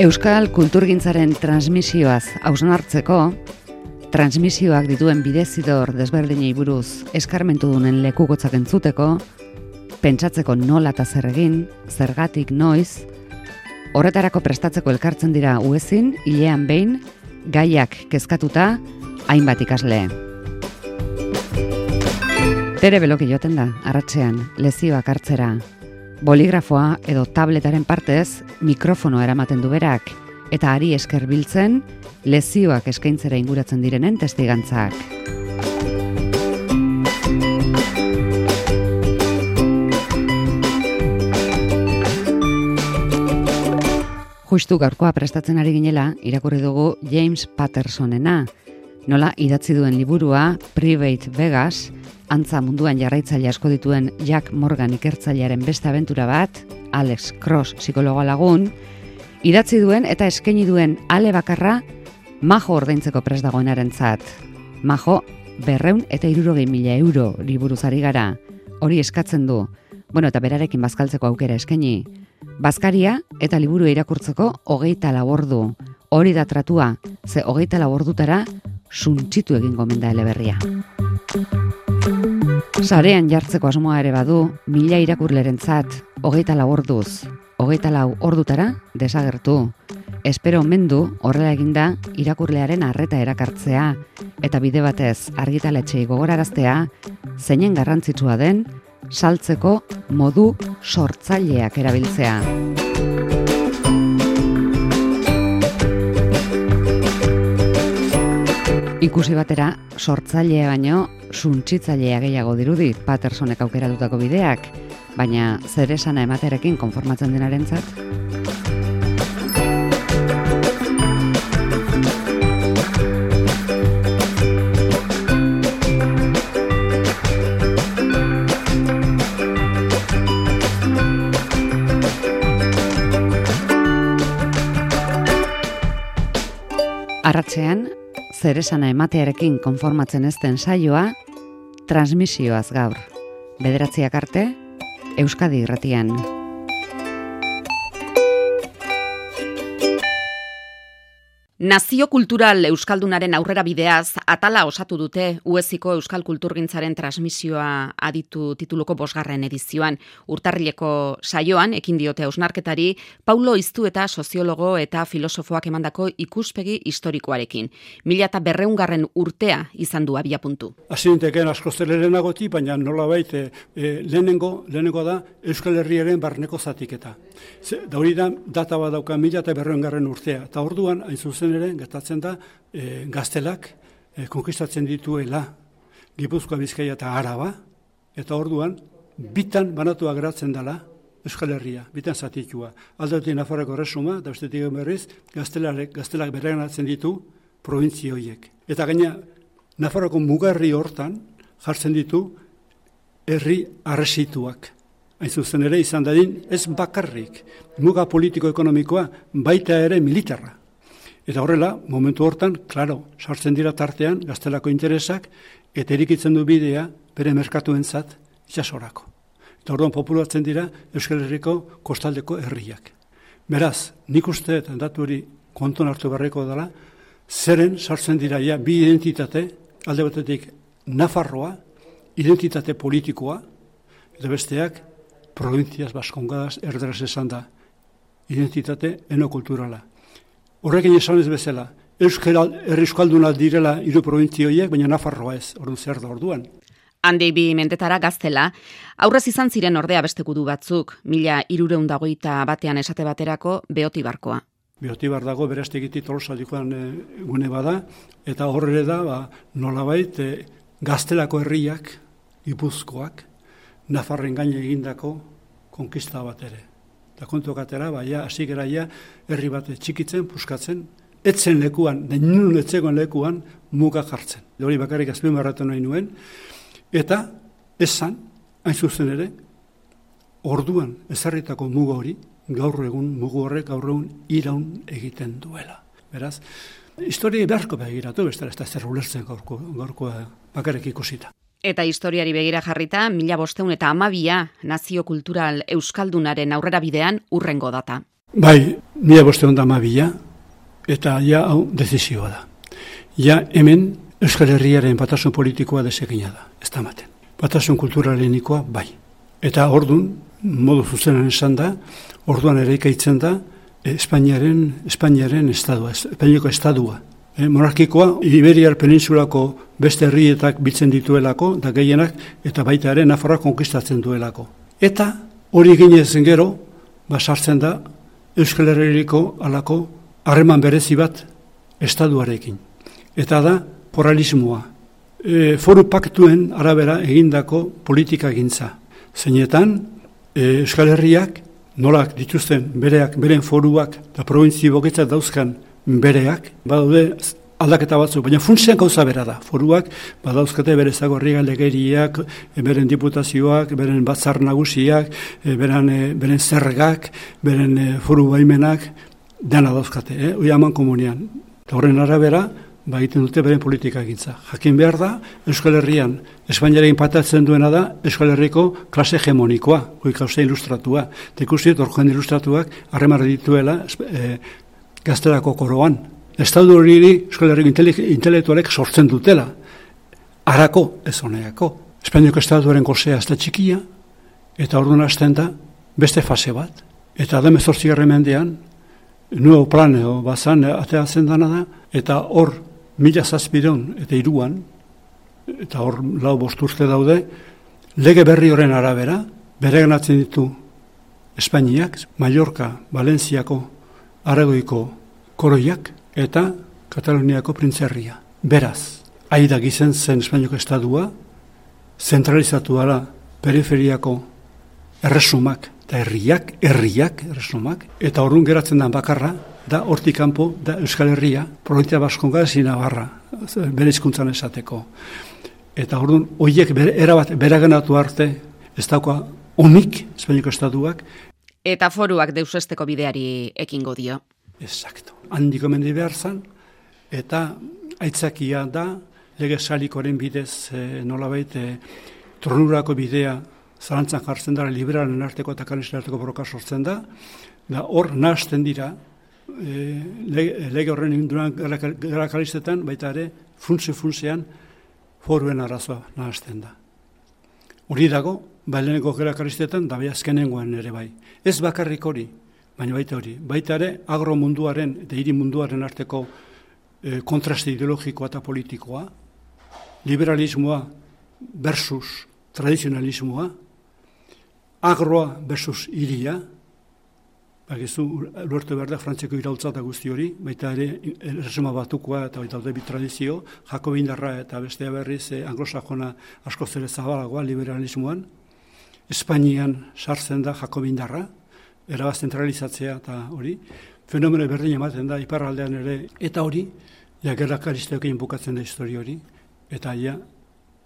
Euskal kulturgintzaren transmisioaz hausnartzeko, transmisioak dituen bidezidor desberdinei buruz eskarmentudunen lekukotzak entzuteko, pentsatzeko nola eta zer egin, zergatik noiz, horretarako prestatzeko elkartzen dira uezin, hilean behin, gaiak kezkatuta, hainbat ikasle. Tere beloki joten da, arratsean, lezioak hartzera. Boligrafoa edo tabletaren partez mikrofono eramaten du berak, eta ari esker biltzen, lezioak eskaintzera inguratzen direnen testigantzak. Justu gaurkoa prestatzen ari ginela, irakurri dugu James Pattersonena, nola idatzi duen liburua Private Vegas, antza munduan jarraitzaile asko dituen Jack Morgan ikertzailearen beste abentura bat, Alex Cross psikologo lagun, idatzi duen eta eskaini duen ale bakarra Majo ordaintzeko prest dagoenarentzat. Majo 260.000 euro liburuz ari gara, hori eskatzen du. Eta berarekin bazkaltzeko aukera eskaini. Bazkaria eta liburu irakurtzeko 24 ordu. Hori da tratua, ze 24 ordutara suntsitu egin gomen da eleberria. Sarean jartzeko asmoa ere badu, 1000 irakurlerentzat, 24 orduz, 24 ordutara desagertu. Espero omen du horrela eginda irakurlearen arreta erakartzea eta bide batez argitaletxeei gogoraraztea zeinen garrantzitsua den saltzeko modu sortzaileak erabiltzea. Ikusi batera, sortzailea baino suntsitzailea gehiago dirudi Pattersonek aukeratutako bideak, baina zer esana ematearekin konformatzen denarentzat? Arratsean, zer esana ematearekin konformatzen ezten saioa, transmisioaz gaur. 9:00 arte, Euskadi Irratian. Nazio kultural euskaldunaren aurrera bideaz, atala osatu dute ueziko euskal kulturgintzaren transmisioa aditu tituluko 5. edizioan. Urtarrileko saioan, ekin diote hausnarketari, Paulo Iztueta soziologo eta filosofoak emandako ikuspegi historikoarekin. 1200. urtea izan du abiapuntu. Azinteken asko zelerenagoti, baina nolabait lehenengo da Euskal Herriaren barneko zatiketa. Da hori da, data bat dauka 1200. urtea, eta orduan, hain zuzen ere, gertatzen da, gaztelak konkistatzen dituela Gipuzkoa, Bizkaia eta Araba, eta orduan, bitan banatua geratzen dela Euskal Herria, bitan zatitua. Aldetik Nafarroko Erresuma, da bestetik berriz, gaztelak bereganatzen ditu probintzia horiek. Eta gaina, Nafarroko mugarri hortan jartzen ditu herri arresituak. Hain zuzen ere izan dadin, ez bakarrik, muga politiko-ekonomikoa, baita ere militarra. Eta horrela, momentu hortan, klaro, sartzen dira tartean, gaztelako interesak, eta erikitzen du bidea bere merkatuentzat itsasorako. Eta orduan populatzen dira Euskal Herriko kostaldeko herriak. Beraz, nik uste, datu hori konton hartu barreko dela, zeren sartzen dira ja bi identitate, alde batetik Nafarroa, identitate politikoa, eta besteak, Provincias Baskongadas erderaz esan da, identitate enokulturala. Horrekin esan ez bezala, herri euskalduna direla hiru provintzioiek, baina Nafarroa ez, orduan zer da orduan. Handik 2 mentetara gaztela, aurrez izan ziren ordea beste gudu batzuk, 1321 esate baterako Beotibarkoa. Beotibar dago beraztegitik Tolosaldikoan gune bada, eta horre da, nolabait, gaztelako herriak, Gipuzkoak, Nafarren gaine egindako konkista bat ere. Eta kontuak atera, hasi gara herri bat txikitzen, puskatzen, etzen lekuan, denun etzegoen lekuan, muga jartzen. Hori bakarrik azpimarratu nahi nuen, eta esan, hain zuzen ere, orduan ezarritako muga hori, gaur egun mugu horrek gaur egun iraun egiten duela. Beraz, historia beharko begiratu, bestela ez da zer ulertzen gaurkoa bakarrik ikusita. Eta historiari begira jarrita, 1512 nazio kultural euskaldunaren aurrera bidean urrengo data. Bai, 1512 eta ja hau dezizioa da. Ja hemen Euskal Herriaren batasun politikoa desekina da, ez da maten. Batasun kulturalenikoa bai. Eta ordun modu zuzenan esan da, orduan ere ikaitzen da Espainiaren estadua, Espainiako estadua. Monarkikoa Iberiar penintsulako beste herrietak biltzen dituelako, da gehienak, eta baita ere Nafarroa konkistatzen duelako. Eta hori ginezen gero, sartzen da Euskal Herriko alako harreman berezi bat estaduarekin. Eta da foralismoa. Foru paktuen arabera egindako politika gintza. Zeinetan, Euskal Herriak nolak dituzten beren foruak eta probintzi boketzat dauzkan bereak, badaude aldaketa batzuk, baina funtsean gauza bera da. Foruak badauzkate bere zagorriga legeriak, beren diputazioak, beren batzar nagusiak, beren zergak, beren foru baimenak, dena dauzkate, hori haman komunian. Eta horren arabera, egiten dute beren politika egintza. Jakin behar da, Euskal Herrian, Espainiarekin patatzen duena da, Euskal Herriko klase hegemonikoa, hori klase ilustratua. Eta ikusi, orkoen ilustratuak, harremarra dituela gazterako koroan. Estadu hori Euskal Herriko intelektualek sortzen dutela. Arako, ez honeako. Espainiako estatuaren gozea ez da txikia, eta orduan hasten da, beste fase bat. Eta da 18. mendean, nuevo planeo bazan ateatzen dana da, eta hor 1703 eta hor 4 urte daude, lege berri horren arabera, bereganatzen ditu Espainiak, Mallorca, Valentziako, Aragoiko koroiak, eta Kataluniako printzerria. Beraz, aida gizen zen Espainiako estadua, zentralizatu ala periferiako erresumak, eta herriak, erresumak, eta horren geratzen den bakarra, da hortik kanpo, da Euskal Herria, Provintzia Baskonga ezin Navarra, bere hizkuntzan esateko. Eta orduan, horiek erabat beraganatu arte, ez dauka onik, Espainiako estatuak. Eta foruak deusesteko bideari ekingo dio. Exacto. Handiko mendi behar zan, eta aitzakia da, lege salikoren bidez, nolabait, tronurako bidea, zalantzan jartzen da, liberalen arteko eta kalisten arteko borroka sortzen da hor nahazten dira, lege horren induran gara kalistetan, baita ere, funtzean, foruen arazoa nahazten da. Hori dago, baileneko gara kalistetan, da bai azkenengoan ere bai. Ez bakarrik hori, baina baita hori. Baita ere, agro munduaren eta hiri munduaren arteko kontraste ideologikoa eta politikoa, liberalismoa versus tradizionalismoa, agroa versus hiria, bakizu, luertu behar da, Frantziako iraultza eta guzti hori, baita ere, erresuma batukoa eta baita alde tradizio, jakobindarra eta bestea berriz, anglosajona asko zere zabalagoa, liberalismoan, Espainian sartzen da jakobindarra, erabaz zentralizatzea eta hori, fenomeno berdin ematen da, iparraldean ere, eta hori, ja gerrak aristeokein bukatzen da histori hori, eta ja,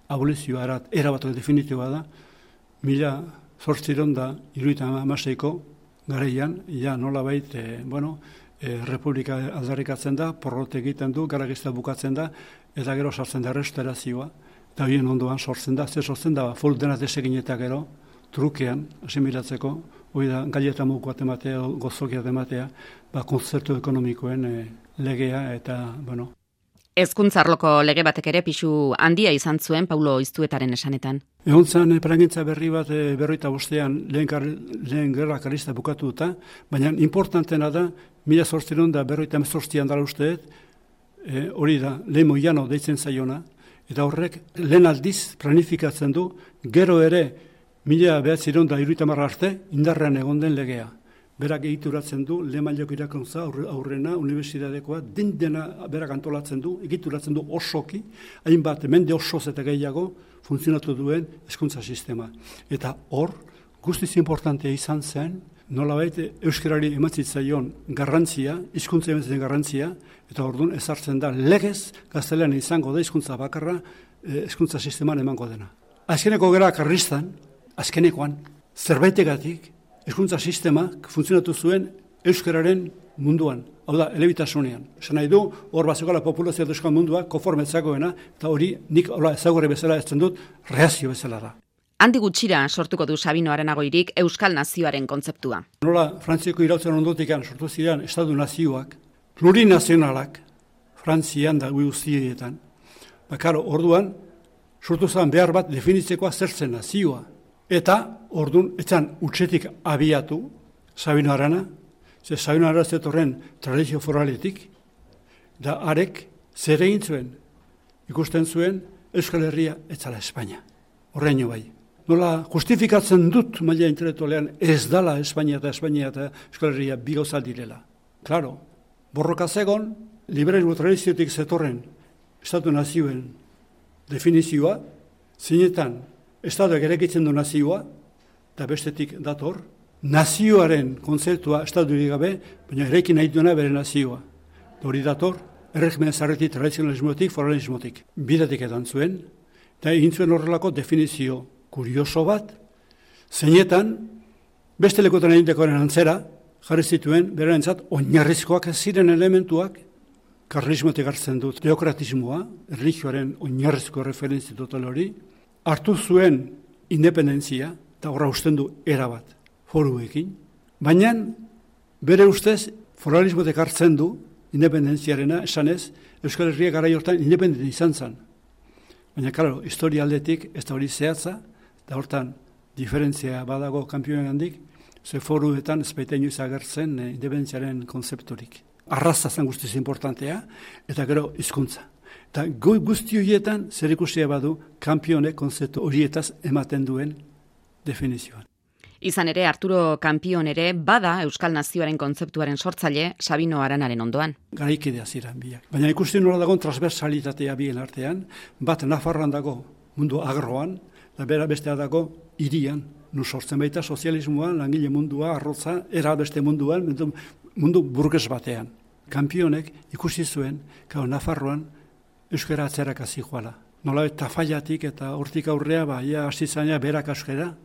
abolizioa erabat definitiboa da, 1876ko garaian, ja nolabait, Republika aldarrikatzen da, porrot egiten du, garagizta bukatzen da, eta gero sartzen da restaurazioa, eta bien ondoan sortzen da, sortzen da, full dena desekin eta gero, trukean, asimilatzeko, hori da, gaieta muguat ematea, gozokiat ematea, kontzertu ekonomikoen legea, eta, Hezkuntzarloko lege batek ere pisu handia izan zuen Paulo Iztuetaren esanetan. Egon zan plangintza berri bat 45ean lehen gerra karlista bukatu duta, baina importantena da 1848an dala usteet, hori da, lehen Moiano deitzen zaiona, eta horrek lehen aldiz planifikatzen du, gero ere 1930 arte indarrean egon den legea. Berak egituratzen du, lehen mailako irakuntza aurrena, unibertsitatekoa, dena berak antolatzen du, egituratzen du osoki, hainbat mende osoz eta gehiago funtzionatu duen hezkuntza sistema. Eta hor, guztiz importantea izan zen, nolabait euskarari ematzitzaion garrantzia, hizkuntza ematzen garrantzia, eta orduan ezartzen da legez, gaztelean izango da hizkuntza bakarra, hezkuntza sisteman emango dena. Azkeneko gara karristan, azkenekoan, zerbaitegatik, hezkuntza sistemak funtzionatu zuen euskararen munduan, hau da, elebitasunean. Esan nahi du, hor bazukala populazioa euskal mundua, konforme ezagoena, eta hori nik ezagorri bezala ezten dut, reazio bezala da. Handi gutxira sortuko du Sabino Arenagoirik Euskal Nazioaren kontzeptua. Nola Frantziako irautzen ondotik sortu ziren estatu nazioak, plurinazionalak, Frantzian da guztietan. Bakaro, orduan, sortu zen behar bat definitzekoa zertzen nazioa. Eta, orduan, etzan utxetik abiatu Sabino Arana, ze Sabino Arana zetorren tradizio foraletik, da arek zer egin zuen, ikusten zuen Euskal Herria etzala Espainia. Horreino bai. Nola justifikatzen dut maila intelektualean ez dala Espainia eta Euskal Herria bi gauza direla. Claro, borroka zegon, liberalismo tradiziotik zetorren estatu nazioen definizioa, zinetan estatuak erekitzen du nazioa, eta bestetik dator, nazioaren kontzeptua estaturik gabe, baina erekin nahi duena bere nazioa. Hori dator, erregimen zarretik, tradizionalismotik, foralismotik. Bidatik edan zuen, eta egin zuen horrelako definizio kurioso bat, zeinetan, beste lekotan egintekoaren antzera, jarri zituen, berentzat, oinarrizkoak ziren elementuak, karlismotik hartzen dut, teokratismoa, erlijioaren oinarrizko referentzia total hori, hartu zuen independentzia, eta horra usten du erabat, foruekin, baina bere ustez foralismotik hartzen du independentziarena, esanez, Euskal Herria garai hortan independente izan zen. Baina, klaro, historia aldetik ez da hori zehatza, eta hortan diferentzia badago kanpioen handik, ze foruetan ez baita inoiz agertzen independentziaren konzeptorik. Arraza zen guztiz importantea, eta gero hizkuntza. Eta guzti horietan zer ikusia badu kanpionek konzeptu horietaz ematen duen definizioan. Izan ere, Arturo Kanpion ere bada Euskal Nazioaren kontzeptuaren sortzaile Sabino Aranaren ondoan. Garaikidea ziren biak. Baina ikusten nola dagoen transversalitatea bien artean, bat Nafarroan dago mundu agroan, eta bera bestea dago hirian, nu sortzen baita sozialismoan, langile mundua, arrotza, era beste munduan, mundu burges batean. Kanpionek ikusi zuen, Nafarroan euskara atzerak hasi joala. Nola Tafaiatik eta hortik aurrea, hasi zaina berak euskara,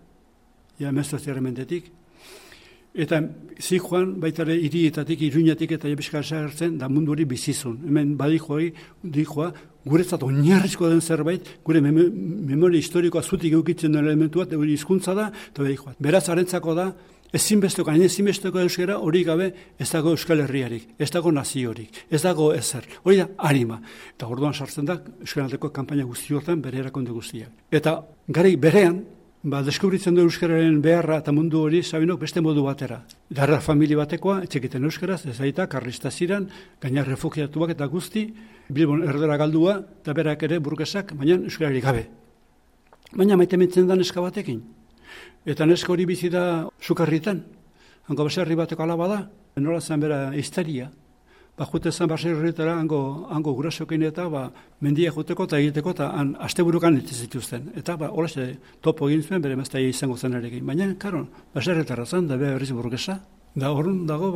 meztoziaren mendetik. Eta zijoan, baita ere, hirietatik, Iruñatik eta Jebiskara zagertzen, da mundu hori bizizun. Hemen badikoa, guretzat oinarrizko den zerbait, gure memoria historikoa zutik eukitzen den elementua, hori hizkuntza da, eta badikoa. Beraz, harentzako da, ezinbesteko euskara hori gabe ez dago Euskal Herriarik, ez dago naziorik, ez dago ezer. Hori da, harima. Eta orduan sartzen da, Euskal kanpaina guzti hortan bere erakonde guztiak. Eta gari berean, deskubritzen du euskararen beharra eta mundu hori Sabinok beste modu batera. Darra familia batekoa, etxekiten euskaraz, ez aita, karlista ziren, gaina refugiatuak eta guzti, Bilbon erdera galdua, eta berak ere burgesak, baina euskarari gabe. Baina maite mentzen da neska batekin. Eta neska hori bizi da Sukarritan, hango baserri bateko alaba da, nola zen bera histeria. Jute zen baserritara hango gurasokin eta mendia juteko eta egiteko eta asteburukan zituzten. Eta holaxe topo egin zuen bere maztaia izango zen erekin. Baina, karo, baserritara zen, da beha berriz burgesa. Da horren dago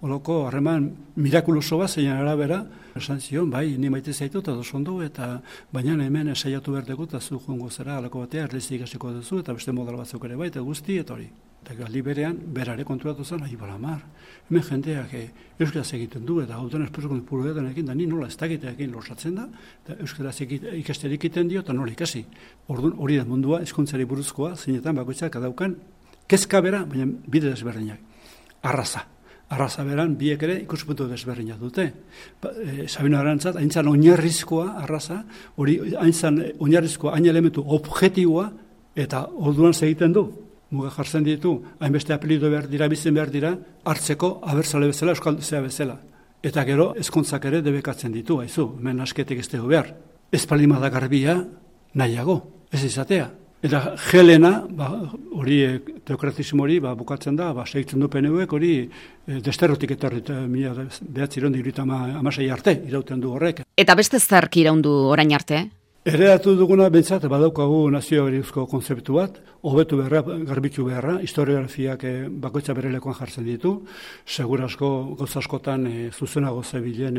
olako harreman mirakuloso bat zein arabera, esan zion, bai, ni maite zaitu eta dosondo, eta baina hemen esaiatu berdeko eta zu joango zera alako batea, erlezik hasiko duzu, eta beste modal batzuk ere bai, eta guzti, eta hori. Eta galdi berean, berare konturatu zen, balamar, hemen jendeak euskaraz egiten du, eta hauten espesuko puruetan ekin, da ni nola ez dakiteakin losatzen da, eta euskaraz ikasterik egiten dio, eta nola ikasi. Orduan hori da mundua, hizkuntzari buruzkoa, zeinetan bakoitzak adaukan, kezka bera, baina bide desberdinak. Arraza beran, biek ere ikuspuntu desberdinak dute. Sabino Arantzat, haintzan oinarrizkoa arraza, hori haintzan oinarrizkoa, hain elementu objektiboa, eta orduan segiten du. Muga jartzen ditu, hainbeste apelido behar dira, bizen behar dira, hartzeko abertzale bezala, euskalduzea bezala. Eta gero, ezkontzak ere debekatzen ditu, haizu, hemen asketek ez dugu behar. Ez palima da garbia nahiago, ez izatea. Eta Helena, hori teokratismo hori bukatzen da, segitzen du PNUek, hori desterrotik etorri, 1996 arte irauten du horrek. Eta beste zark iraundu orain arte? Ereratu duguna bentsat, badaukagu nazioarizko konzeptu bat, hobetu beharra, garbitu beharra, historiografiak bakoitza bere lekoan jartzen ditu, segurasko gozaskotan zuzenago zebilen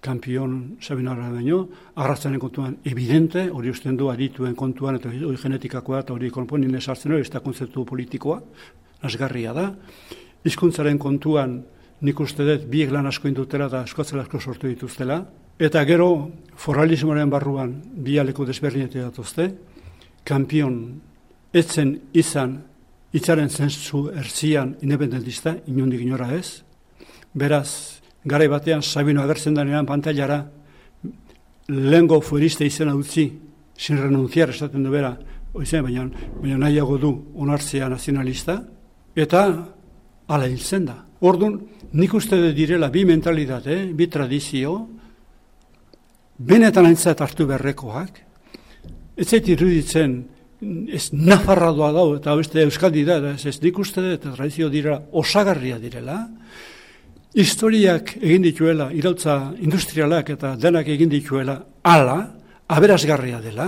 Kanpion Sabino Arana baino, arrazanen kontuan evidente, hori usten du adituen kontuan, eta hori genetikakoa, eta hori konponin esartzen hori, ez da konzeptu politikoa, nasgarria da. Hizkuntzaren kontuan nik uste dut biek lan asko indutela eta askotzela asko sortu dituztela, eta gero foralismoaren barruan bi aleko desberdinetik datuzte, kampion etzen izan hitzaren zentzu erzian independentista, inondik inora ez. Beraz, garai batean Sabino agertzen denean pantailara lehengo fueriste izena utzi, sin renunciar esaten du bera, baina nahiago du onartzea nazionalista, eta hala hiltzen da. Orduan, nik uste direla bi mentalitate, bi tradizio, benetan aintzat hartu berrekoak, ez zait iruditzen, ez nafarradoa dau, eta beste euskaldi da, ez nik uste eta tradizio direla, osagarria direla, historiak egin dituela, irautza industrialak eta denak egin dituela, ala, aberasgarria dela,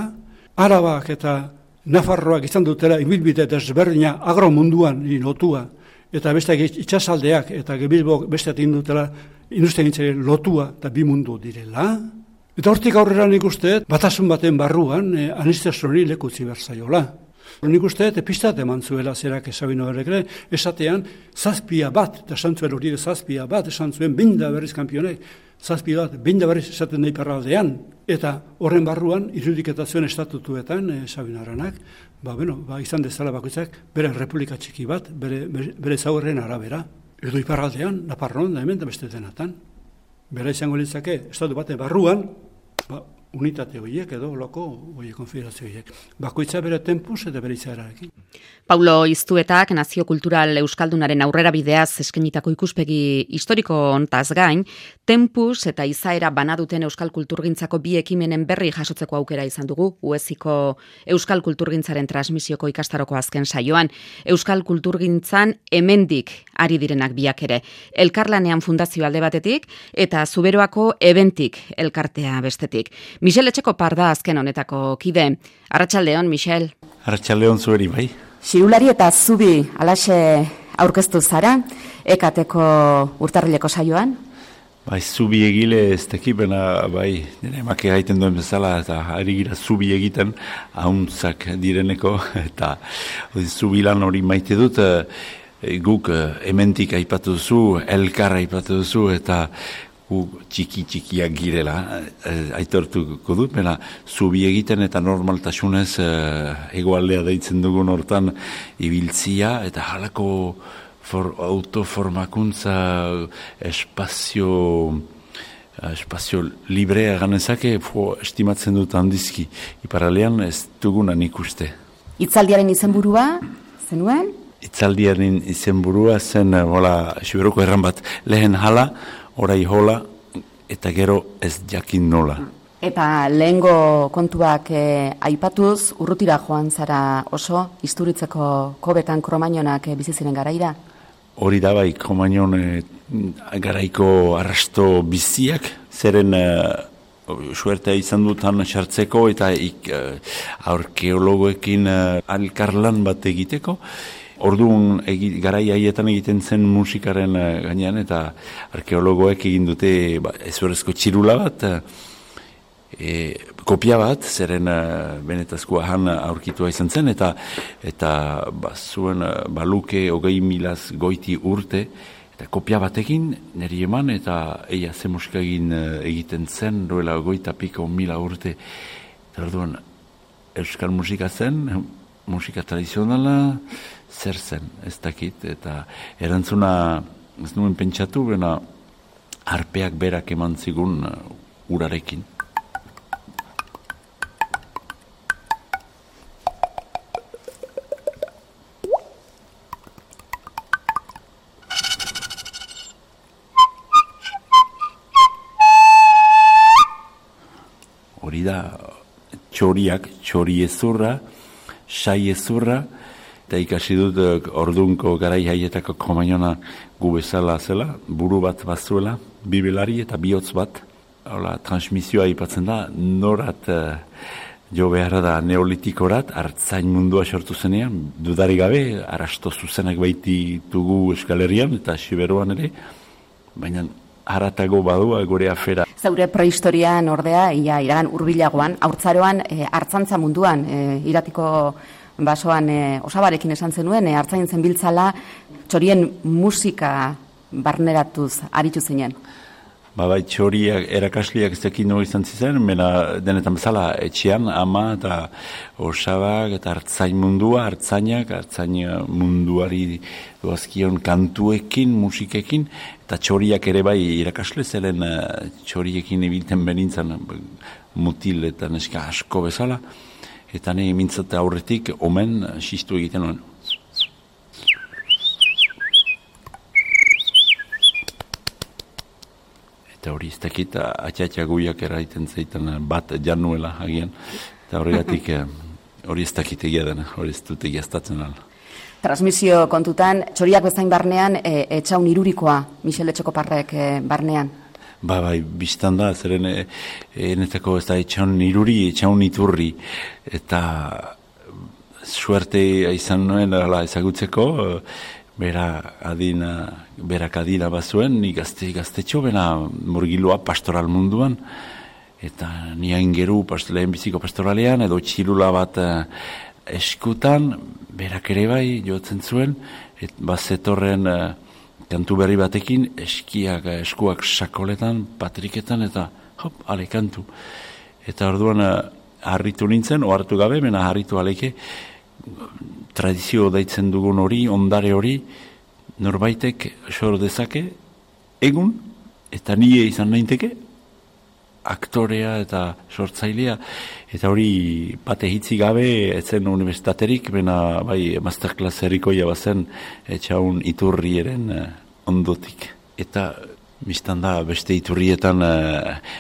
Arabak eta Nafarroak izan dutela, ibilbide desberdina agromunduan lotua, eta beste itxasaldeak eta Bilbok beste egin dutela, industriagintzaren lotua eta bi mundu direla. Eta hortik aurrera nik uste, batasun baten barruan, anistezroni lekutzi berzaiola. Nik uste, pistat eman zuela zerak Sabino Errekre, esatean, zazpia bat, eta esan zuen hori zazpia bat, esan zuen binda berriz kampionek, zazpia bat, binda berriz esaten nahi perraldean, eta horren barruan, irudiketazioen estatutuetan, Sabino Aranak, izan dezala bakoitzak, bere republika txiki bat, bere zaurren arabera, edo iparraldean, Naparron, da hemen, da beste denatan. Bera izango litzake, estatu baten barruan, unitate horiek edo loko konfederazio horiek. Bakoitza bere tempus eta bere izaerarekin. Paulo Iztuetak Nazio Kultural Euskaldunaren aurrera bideaz eskenitako ikuspegi historiko hontaz gain, tempus eta izaera banaduten euskal kulturgintzako bi ekimenen berri jasotzeko aukera izan dugu, UESiko euskal kulturgintzaren transmisioko ikastaroko azken saioan. Euskal kulturgintzan hemendik ari direnak biak ere. Elkarlanean fundazio alde batetik eta Zuberoako ebentik elkartea bestetik. Michel Etxekopar da azken honetako kide. Arratsaldeon, Michel. Arratsaldeon zueri, bai. Xirulari eta Zubi alaxe aurkeztu zara, ekateko urtarrileko saioan? Bai, Zubi egile ez tekipena, bai, nire emake gaiten duen bezala, eta ari gira Zubi egiten, ahuntzak direneko, eta Zubi lan hori maite dut, guk hementik aipatu duzu, elkar aipatu duzu, eta txikiak girela, aitortuko dut, bena, Zubi egiten eta normaltasunez egoaldea deitzen dugun hortan ibiltzia, eta halako autoformakuntza espazio librea ganezake, estimatzen dut handizki, iparalean ez dugunan ikuste. Itzaldiaren izenburua, zenuen? Itzaldiaren izenburua zen, Zuberoko erran bat, lehen hala, orai hola, eta gero ez jakin nola. Eta lehengo kontuak aipatuz, urrutira joan zara oso, Isturitzeko kobetan Kromañonak bizi ziren garaira? Hori da bai, Kromañon garaiko arrasto biziak, zeren suertea izan dutan sartzeko eta arkeologoekin alkarlan bat egiteko. Orduan garai haietan egiten zen musikaren gainean eta arkeologoek egin dute ezurrezko txirula bat, kopia bat, zeren benetazkoa han aurkitua izan zen, eta zuen baluke 20.000 goiti urte, eta kopia batekin niri eman, eta eia ze musika egiten zen, duela 20.000 urte, eta orduan euskal musika zen, musika tradizionala, zer zen, ez dakit, eta erantzuna ez nuen pentsatu, bena arpeak berak eman zigun urarekin. Hori da, txoriak, txori ezurra, sai ezurra, eta ikasi dut ordunko garai haietako Kromañona gu bezala zela, buru bat bazuela, bibelari eta bihotz bat. Hola, transmisioa ipatzen da, norat jo behar da neolitikorat, artzain mundua sortu zenean, dudari gabe, arrasto zuzenak baititugu Euskal Herrian eta Siberuan ere, baina haratago badua gure afera. Zaure prehistorian ordea, iragan hurbilagoan, haurtzaroan hartzantza munduan, iratiko basoan osabarekin esan zenuen, hartzain zenbiltzala txorien musika barneratuz aritu zinen. Bai, txoriak, erakasliak ez dakit nogu izan zizen, mena denetan bezala etxean, ama eta osabak eta hartzain munduari doazkion kantuekin, musikekin, eta txoriak ere bai irakasle zelen txoriekin ibilten benintzen mutil eta neska asko bezala, eta ne mintzat aurretik omen xistu egiten nuen. Eta hori ez dakit, atxatxa guiak eraiten zeiten bat januela agian. Eta horregatik hori ez dakit egia dena, hori ez dut egiaztatzen ala. Transmisio kontutan, txoriak bezain barnean, etxaun irurikoa, Michel Etxekoparrek barnean? Bai, biztan da, zeren enetako ez da etxaun iruri, etxaun iturri. Eta suerte izan nuen ezagutzeko, berak adina bazuen, ni gaztetxo, bena murgiloa pastoral munduan, eta ni aingeru lehen biziko pastoralean, edo txilula bat eskutan, berak ere bai jotzen zuen, bazetorren kantu berri batekin, eskuak sakoletan, patriketan, eta hop, ale kantu. Eta orduan harritu nintzen, ohartu gabe, bena harritu aleke, tradizio daitzen dugun hori, ondare hori, norbaitek sor dezake, egun, eta nire izan nainteke, aktorea eta sortzailea, eta hori bate hitzi gabe, etzen universitaterik, bena bai masterclass errikoia bazen, etxaun iturrieren ondotik. Eta biztan da, beste iturrietan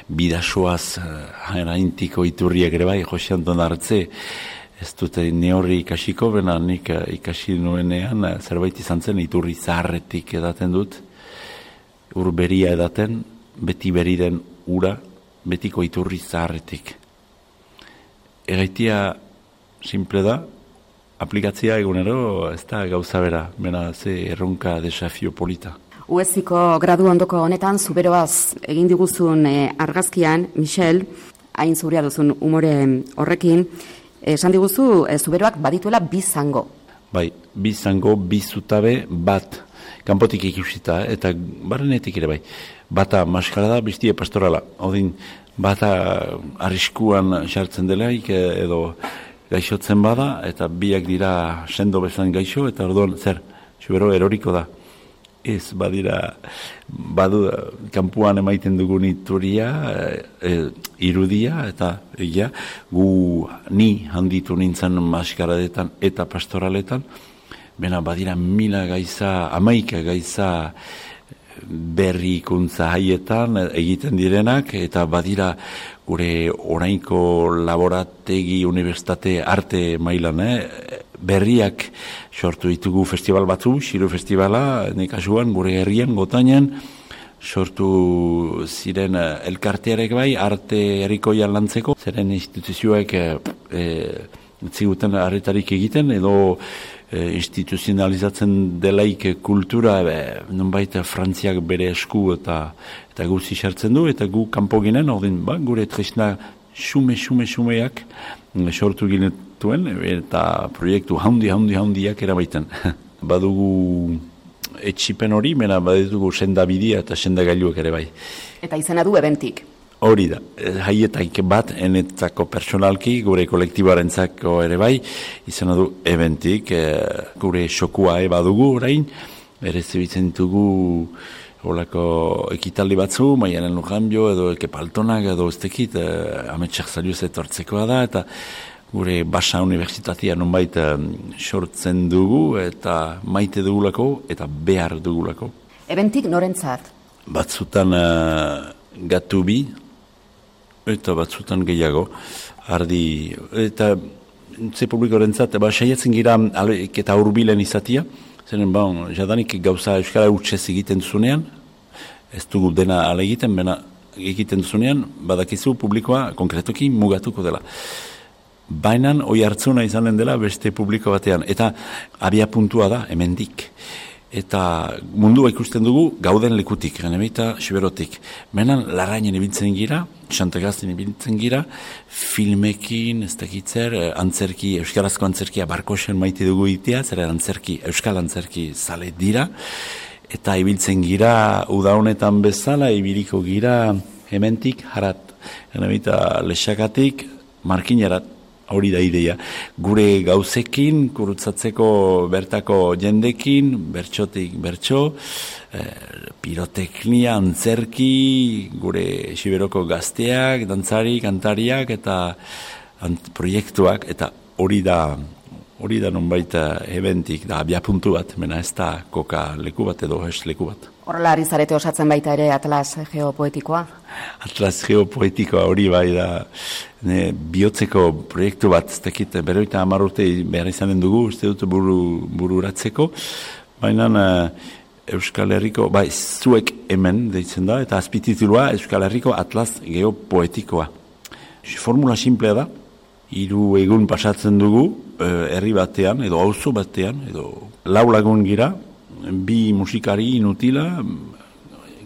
bidasoaz, hainaintiko iturriak ere bai, Jose Anton Artze, ez dute neorri ikasiko, bena nik ikasi nuenean, zerbait izan zen, iturri zaharretik edaten dut, urberia edaten, beti beri den ura, betiko iturri zaharretik. Egaitia simple da, aplikatzia egunero, ez da gauza bera, bena ze erronka desafio polita. UEZiko gradu ondoko honetan, zuberoaz egin diguzun argazkian, Michel, hain zurea duzun umore horrekin, esan diguzu, zuberoak badituela bi zango. Bai, bi zango, bi zutabe, bat, kanpotik ikusita, eta barrenetik ere bai. Bata maskara da, bestia pastorala. Odin, bata arriskuan sartzen delaik, edo gaixotzen bada, eta biak dira sendo bezan gaixo, eta orduan, zer, zubero eroriko da. Ez, badira, kanpuan emaiten dugun ituria, irudia, eta ni handitu nintzen maskaradetan eta pastoraletan, bena badira 1000 gaiza, 11 gaiza berrikuntza haietan egiten direnak, eta badira gure orainko laborategi universitate arte mailan, berriak sortu ditugu festival batzu, Xiru Festivala, nekasuan, gure herrian, Gotainan, sortu ziren elkartearek bai, arte herrikoian lantzeko, zeren instituzioek ziguten arretarik egiten, edo instituzionalizatzen delaik kultura, nonbait Frantziak bere esku eta guzi sartzen du, eta gu kanpo ginen, gure tresna xumeak sortu ginetuen, eta proiektu handiak erabaiten. Badugu etxipen hori, mena baditugu sendabidia eta sendagailuak ere bai. Eta izena du ebentik. Hori da, haietaik bat, enetzako personalki, gure kolektiboarentzako ere bai, izena du ebentik, gure xokua badugu orain, ere zebitzen ditugu holako ekitaldi batzu, Maialen Lujanbio, edo Ekepaltonak, edo ez tekit, ametsak zaliuz etortzekoa da, eta gure Basa Universitatea nonbait sortzen dugu, eta maite dugulako, eta behar dugulako. Ebentik norentzat? Batzutan gatu bi, eta batzutan gehiago, ardi, eta ze publikorentzat, saiatzen gira eta hurbilen izatia, zeren, jadanik gauza euskara utxez egiten duzunean, ez dugu dena ala egiten, bena egiten duzunean, badakizu publikoa konkretoki mugatuko dela. Baina hoi hartzuna izanen dela beste publiko batean, eta abia puntua da, hemendik. Eta mundua ikusten dugu gauden lekutik, genemeita siberotik. Menan larrainen ibiltzen gira, Xantegazten ibiltzen gira, filmekin, ez dakitzer, antzerki, euskarazko antzerkia Barkosen maite dugu itea, zer euskal antzerki zale dira, eta ibiltzen gira uda honetan bezala, ibiliko gira hementik harat, eta Lexakatik Markinarat, hori da ideia. Gure gauzekin, kurutzatzeko bertako jendekin, bertxotik bertxo, piroteknia, antzerki, gure Xiberoko gazteak, dantzari, kantariak, eta proiektuak, eta hori da nonbait eventik, da abiapuntu bat, mena ez da koka leku bat edo hes leku bat. Horrela ari zarete osatzen baita ere Atlas Geopoetikoa? Atlas Geopoetikoa hori bai da bihotzeko proiektu bat, ez dakit, beroita 10 urte behar izanen dugu, uste dut bururatzeko, baina Euskal Herriko, bai, zuek hemen deitzen da, eta azpititulua Euskal Herriko Atlas Geopoetikoa. Formula simplea da, 3 egun pasatzen dugu, herri batean, edo auzo batean, edo 4 lagun gira, 2 musikari inutila,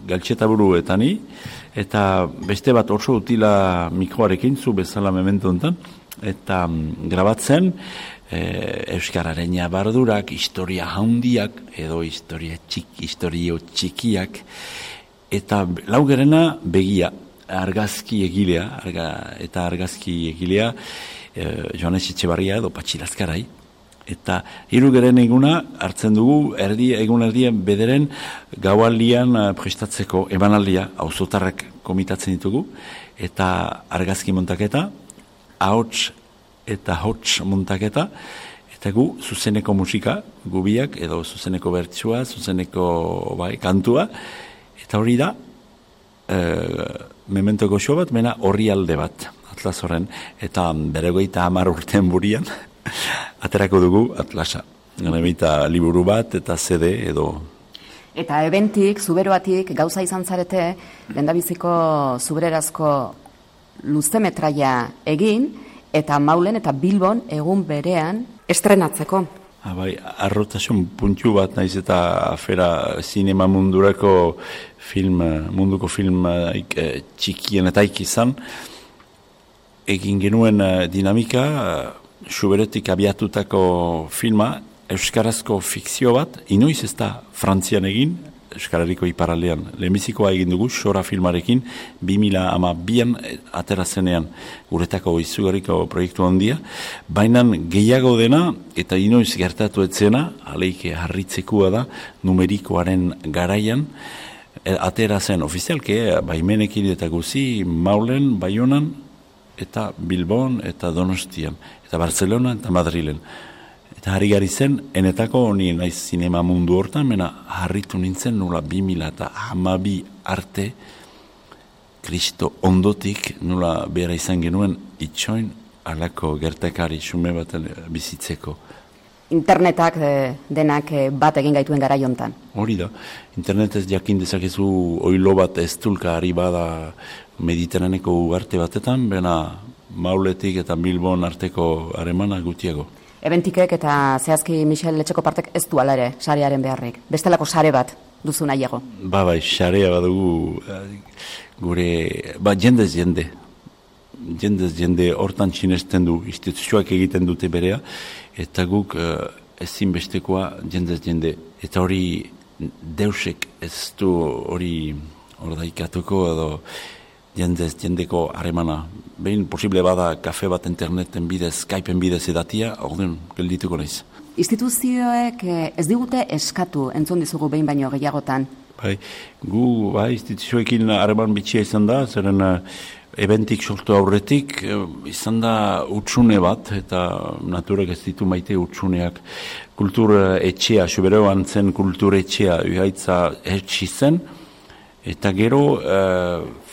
galtxetaburu eta ni, eta beste bat oso utila mikroarekin, zu bezala memento enten, eta grabatzen, Euskararen bardurak, historia handiak, edo historio txikiak, eta laugerena begia, argazki egilea, eta argazki egilea, Joanes Etxebarria edo Patxi Lazkarai, eta 3 eguna hartzen dugu egun erdien bederen gaualdian prestatzeko emanaldia, auzotarrak komitatzen ditugu, eta argazki montaketa, ahots eta hots montaketa, eta gu zuzeneko musika, gubiak, edo zuzeneko bertsua, zuzeneko kantua, eta hori da, memento goxo bat, mena horri alde bat, Atlas horren, eta beregoita 10 urten burian, aterako dugu Atlasa. Eta liburu bat, eta CD edo. Eta eventik, zuberoatik, gauza izan zarete, lehendabiziko zubererazko luzemetraia egin, eta Maulen eta Bilbon egun berean estrenatzeko. Bai, arrotasun puntu bat naiz eta afera zinema mundurako munduko film txikienetaik izan. Egin genuen dinamika, Xuberetik abiatutako filma, euskarazko fikzio bat, inoiz ez da Frantzian egin, Euskal Herriko iparaldean. Lehenbizikoa egin dugu, Xora filmarekin, 2012an atera zenean guretako izugarriko proiektu handia, baina gehiago dena, eta inoiz gertatu etzena, aleike harritzekoa da, numerikoaren garaian, atera zen ofizialke, baimenekin eta guzi, Maulen, Baionan, eta Bilbon, eta Donostian, eta Barcelona, eta Madrilen. Eta harri gari zen, enetako honi naiz zinema mundu hortan, mena harritu nintzen nula 2012 arte, Kristo ondotik nula behar izan genuen itxoin alako gertakari xume bat bizitzeko. Internetak denak bat egin gaituen garai hontan. Hori da, internetez jakin dezakezu oilo bat ez dulka ari bada Mediterraneko ugarte batetan, bena Mauletik eta Bilbon arteko haremana gutiago. Eventikek eta zehazki Michel Letxeko partek ez du ala ere sarearen beharrik. Bestelako sare bat duzu nahiago. Bai, sarea badugu gure, jendez jende. Jendez jende hortan sinesten du, instituzioak egiten dute berea, eta guk ezinbestekoa jendez jende. Eta hori deusek ez du hori ordaikatuko edo jendez jendeko haremana. Behin posible bada kafe bat interneten bidez, Skypeen bidez edatia, orduan geldituko naiz. Instituzioek ez digute eskatu entzun dizugu behin baino gehiagotan. Gu instituzioekin hareman bitxia izan da, zeren eventik sortu aurretik izan da utsune bat, eta naturak ez ditu maite utsuneak. Kultur etxea, Xuberoan zen kultur etxea, uhaitza etxi zen, eta gero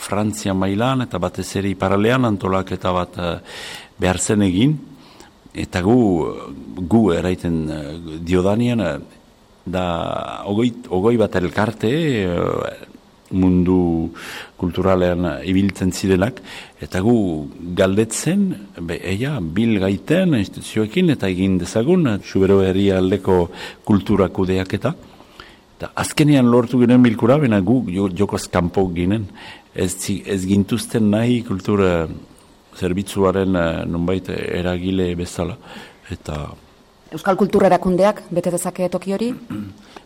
Frantzia mailan eta batez ere iparalean antolaketa bat behar zen egin, eta gu eraiten diodanean da ogoi bat elkarte mundu kulturalean ibiltzen zirenak, eta gu galdetzen, bil gaiten instituzioekin eta egin dezagun, Xubero herria aldeko kultura kudeaketa. Azkenean lortu ginen bilkura, bena gu jokoz kanpo ginen. Ez gintuzten nahi kultura zerbitzuaren nonbait eragile bezala. Eta Euskal Kultura Erakundeak bete dezake toki hori?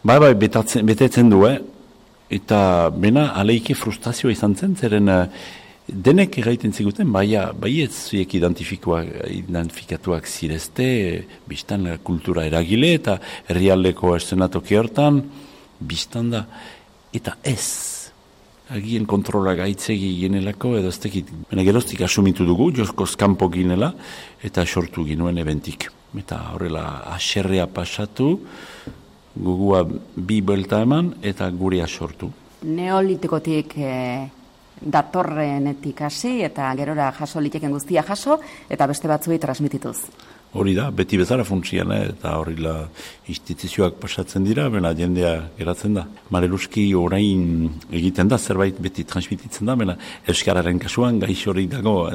Bai, betetzen du, eta bena aleike frustrazioa izan zen, zeren denek egiten ziguten, bai ez zuek identifikatuak zirezte, biztan kultura eragile eta herrialdeko eszenatoki hortan, biztan da, eta ez. Agien kontrola gaitzegi ginelako, edo ez tekit. Bena geroztik asumitu dugu, joskoz kanpo ginela, eta sortu ginuen eventik. Eta horrela aserrea pasatu, gugua bi buelta eman, eta gurea sortu. Neolitikotik datorrenetik hasi, eta gerora jaso liteken guztia jaso, eta beste batzuei transmitituz. Hori da, beti bezala funtsian, eta horrela instituzioak pasatzen dira, bena jendea geratzen da. Mareluski orain egiten da, zerbait beti transmititzen da, bena euskararen kasuan gaix hori dago,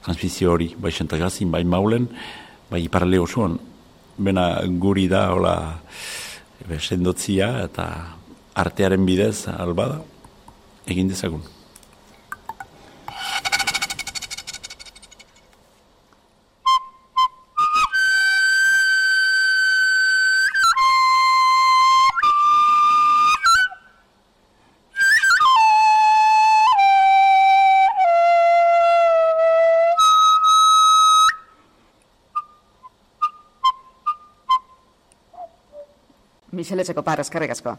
transmisio hori, bai Santagazin, bai Maulen, bai Iparralde osoan, bena guri da, hola, sendotzia eta artearen bidez, albada, egin dezagun. Michele Txekopar, eskerrik asko.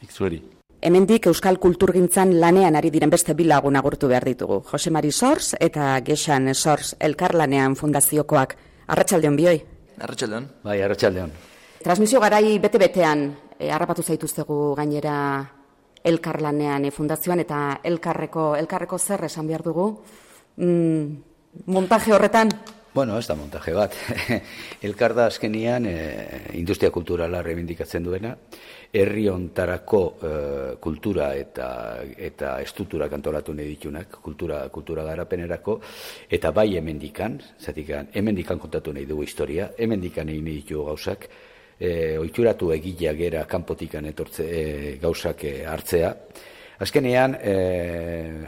Ikzueri. Hemendik Euskal Kulturgintzan lanean ari diren beste bi lagun agurtu behar ditugu. Jose Mari Sors eta Gexan Sors Elkarlanean Fundaziokoak. Arratsaldeon bioi? Arratsaldeon. Bai, arratsaldeon. Transmisio garai bete-betean harrapatu zaituztegu gainera Elkarlanean Fundazioan eta elkarreko zer esan behar dugu? Montaje horretan? Bueno, ez da montaje bat. Elkar da azkenian industria kulturala reivindikatzen duena, herri hontarako kultura eta estrukturak antolatu nahi ditunak, kultura garapenerako, eta bai hemendikan, zatikan, hemendikan kontatu nahi dugu historia, hemendikan egin nahi ditugu gauzak, ohituratu egilea gera kanpotikan gauzak hartzea. Azkenean,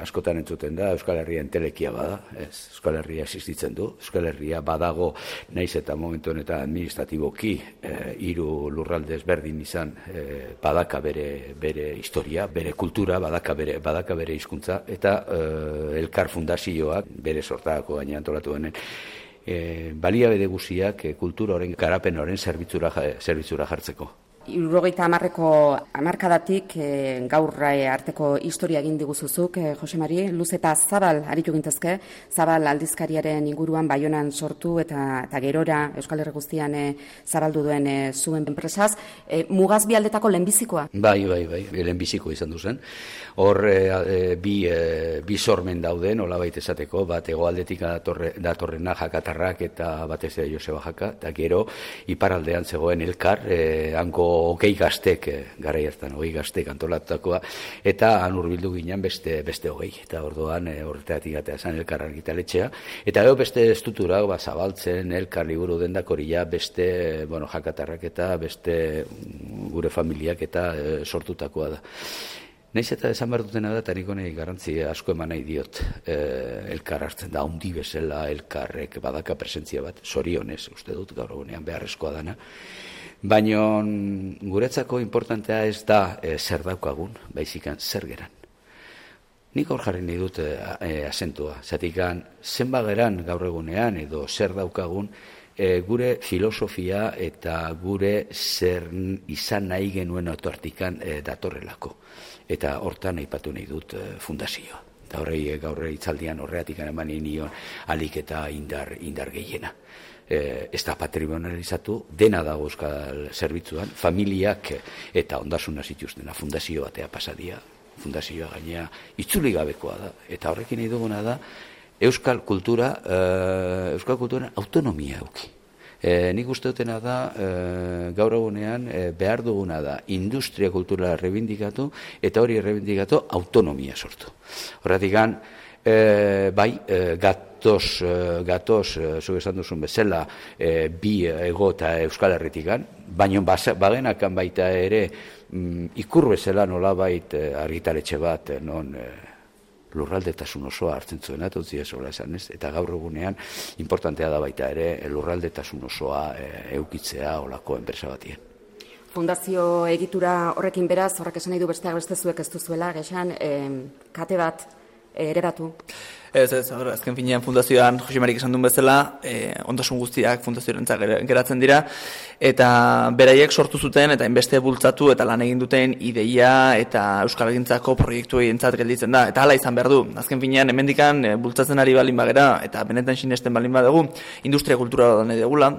askotan entzuten da, Euskal Herria entelekia bada, ez, Euskal Herria existitzen du, Euskal Herria badago, naiz eta momentu honetan administratiboki, 3 lurralde ezberdin izan, badaka bere historia, bere kultura, badaka bere hizkuntza, eta Elkar Fundazioak bere sortako gaina antolatu denen, baliabide guziak kultura horren garapen horren zerbitzura jartzeko. 70ko hamarkadatik gaur arteko historia egin diguzuzuk, Jose Mari, luz eta zabal aritu gintezke, zabal aldizkariaren inguruan Baionan sortu eta gerora Euskal Herri guztian zabaldu duen zuen enpresaz, mugaz bi aldetako lehenbizikoa? Bai, lehenbiziko izan duzen. Hor bi sormen dauden, nolabait esateko, bat hegoaldetik datorrena Jakatarrak eta batez ere Joseba Jaka, eta gero iparaldean zegoen Elkar, hanko hogei gaztek, garai hartan hogei gaztek antolatutakoa, eta han hurbildu ginen beste hogei, eta orduan horretatik atea zen Elkar argitaletxea, eta gero beste estruktura zabaltzen, Elkar liburu dendakoria, beste Jakatarrak eta beste gure familiak eta sortutakoa da. Naiz eta esan behar dutena da, eta nik honei garrantzi asko eman nahi diot, Elkar hartzen da, handi bezala Elkarrek badaka presentzia bat, zorionez, uste dut gaur egunean beharrezkoa dana, baina guretzako importantea ez da zer daukagun, baizikan zer geran. Nik hor jarri nahi dut azentua, zatikan zenba geran gaur egunean edo zer daukagun, gure filosofia eta gure zer izan nahi genuen otortikan datorrelako. Eta hortan aipatu nahi dut fundazioa. Eta horrei gaur hitzaldian horreatik eman nion alik eta indar gehiena. Ez da patrimonializatu, dena dago euskal zerbitzuan, familiak eta ondasuna zituztena fundazio batea pasadia, fundazioa gainea itzuli gabekoa da. Eta horrekin nahi duguna da, euskal kultura autonomia euki. Nik uste dutena da, gaur egunean behar duguna da industria kulturala reivindikatu eta hori reivindikatu autonomia sortu. Horretik bai, gatoz, zu esan duzun bezala, bi ego eta Euskal Herritikan, baina bagenakan baita ere ikur bezala nolabait argitaletxe bat, non lurraldetasun osoa hartzen zuen, atotzia zola esan ez, eta gaur egunean importantea da baita ere lurraldetasun osoa eukitzea olako enpresa batien. Fundazio egitura horrekin beraz, horrek esan nahi du besteak beste zuek ez duzuela, gexan, kate bat ereratu. Ez, azken finean fundazioan Jose Marik esan duen bezala, ondasun guztiak fundazioarentzat geratzen dira, eta beraiek sortu zuten eta inbeste bultzatu eta lan egin duten ideia eta euskalgintzako proiektuei entzat gelditzen da, eta hala izan behar du. Azken finean, hemendikan bultzatzen ari balin bagera, eta benetan sinesten balin badugu, industria kultura bat nahi degula,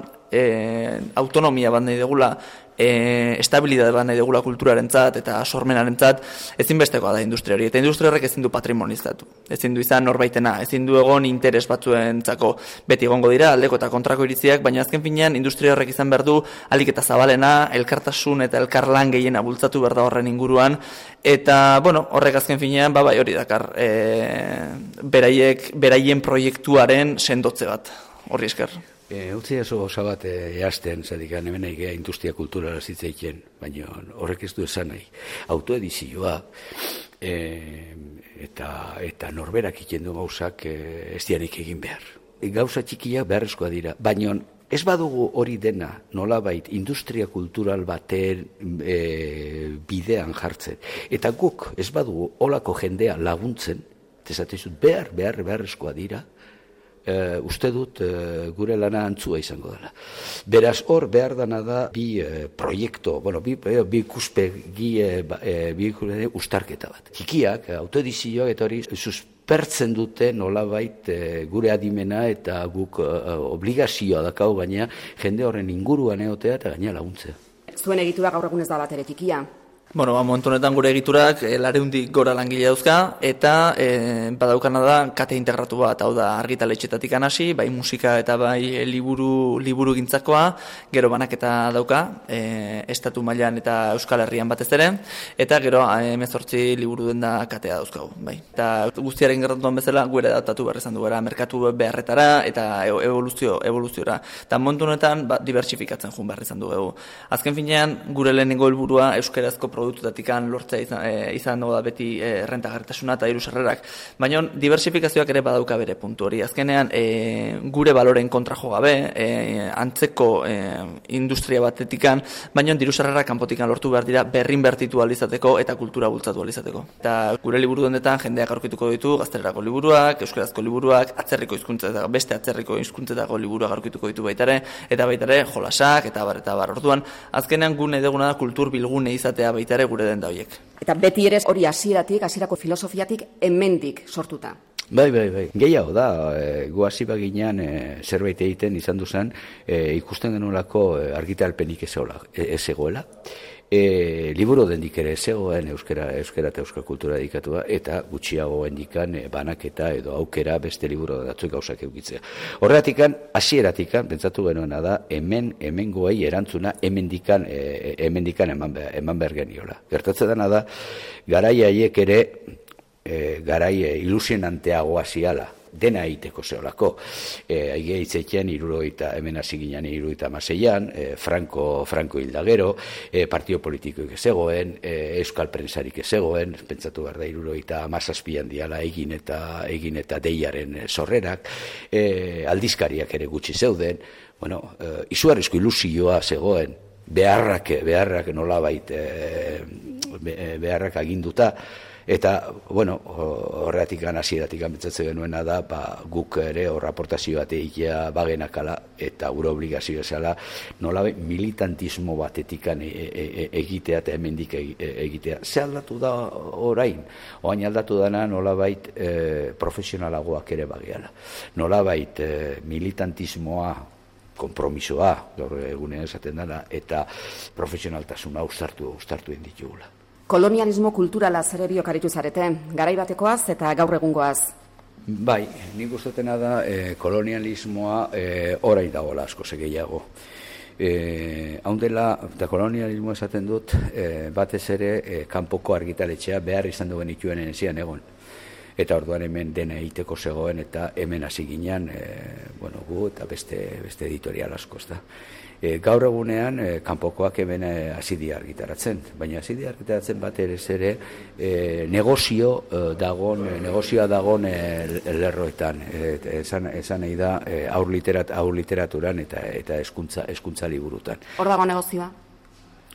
autonomia bat nahi degula, estabilidade bat nahi degula kulturarentzat eta sormenarentzat, ezinbestekoa da industria hori, eta industria horrek ezin du patrimonizatu, ezin du izan norbaitena, ezin du egon interes batzuentzako, beti egongo dira aldeko eta kontrako iritziak, baina azken finean industria horrek izan behar du ahalik eta zabalena, elkartasun eta elkarlan gehiena bultzatu behar da horren inguruan, eta horrek azken finean bai hori dakar, beraien proiektuaren sendotze bat, horri esker. Utzi oso gauza bat eazten, zadikan hemen egea industria kulturala zitzaiken, baina horrek ez du esan nahi. Autoedizioa eta norberak ikendu gauzak ez dianik egin behar. Gauza txikiak beharrezkoa dira, baina ez badugu hori dena nolabait industria kultural baten bidean jartzen. Eta guk ez badugu olako jendea laguntzen, ezatezut beharrezkoa dira, uste dut gure lana antzua izango dela. Beraz, hor behar dana da bi proiektu, bi ikuspegi ustarketa bat. Txikiak, autoedizioak eta hori suspertzen dute nolabait gure adimena eta guk obligazioa dakau gaina jende horren inguruan egotea eta gaina laguntzea. Zuen egitura gaur egun ez da bat ere txikia. Momentu honetan gure egiturak 200 gora langile dauzka, eta badaukana da kate integratu bat, hau da argitaletxetatik hasi, bai musika eta bai liburu gintzakoa, gero banaketa dauka, estatu mailan eta Euskal Herrian batez ere, eta gero 18 liburu denda katea dauzkagu. Bai. Eta guztiaren gertatuan bezala gure adaptatu behar izan dugu, merkatu beharretara eta evoluziora. Eta momentu honetan diversifikatzen joan behar izan dugu. Azken finean, gure lehenengo helburua euskarazko produktutatik lortzea izan da beti rentagarritasuna eta diru sarrerak. Baina diversifikazioak ere badauka bere puntu hori. Azkenean gure baloren kontra jo gabe, antzeko industria batetikan, baina diru sarrerak kanpotikan lortu behar dira berrinbertitu alizateko eta kultura bultzatu alizateko. Eta gure liburu dendetan jendeak aurkituko ditu gaztelerako liburuak, euskarazko liburuak, atzerriko hizkuntzetako beste atzerriko hizkuntzetako liburuak aurkituko ditu baitare, eta baitare jolasak eta bar. Orduan, azkenean gune deguna da kultur bilgune izatea baitare gure denda horiek. Eta beti ere hori hasierako filosofiatik hemendik sortuta. Bai. Gehiago da, gu hasi baginean zerbait egiten izan duzan, ikusten genuelako argitalpenik ez egoela. Liburu dendik ere zegoen euskara eta euskal kultura dedikatua, eta gutxiago hendikan banaketa edo aukera beste liburu datzuek gauzak eukitzea. Horregatikan, hasieratikan, pentsatu genuena da, hemengoei erantzuna hemendikan eman behar geniola. Gertatzen dena da, garai haiek ere, garai ilusionanteagoa ziala, dena egiteko zeolako. Aige hitzeiten hemen hasi ginen 76an, Franco hildagero, partio politikoik ezegoen, euskal prentsarik ezegoen, pentsatu behar da 77an diala egin eta deiaren sorrerak, aldizkariak ere gutxi zeuden, izugarrizko ilusioa zegoen, beharrak nolabait beharrak aginduta. Eta, horretik hasieratik pentsatzen genuena da, guk ere hor aportazio bat egitea bagenakala eta gure obligazioa zela nolabait militantismo batetik egitea eta hemendik egitea. Ze aldatu da orain? Oain aldatu dana nolabait profesionalagoak ere bageala. Nolabait militantismoa, konpromisoa, gaur egunean esaten dela, eta profesionaltasuna uztartu egin ditugula. Kolonialismo kulturala ere biok aritu zarete, garai batekoaz eta gaur egungoaz. Bai, nik ustatena da kolonialismoa orain dagoela asko gehiago. Haundela, eta kolonialismoa esaten dut, batez ere kanpoko argitaletxea behar izan duen ituen enezian egon. eta orduan hemen dena egiteko zegoen, eta hemen hasi ginen, gu eta beste editorial asko, ezta. Gaur egunean, kanpokoak hemen hasi dira argitaratzen, baina hasi dira argitaratzen bat ere negozioa dagon lerroetan, esan nahi da aur literaturan eta hezkuntza liburutan. Hor dago negozioa?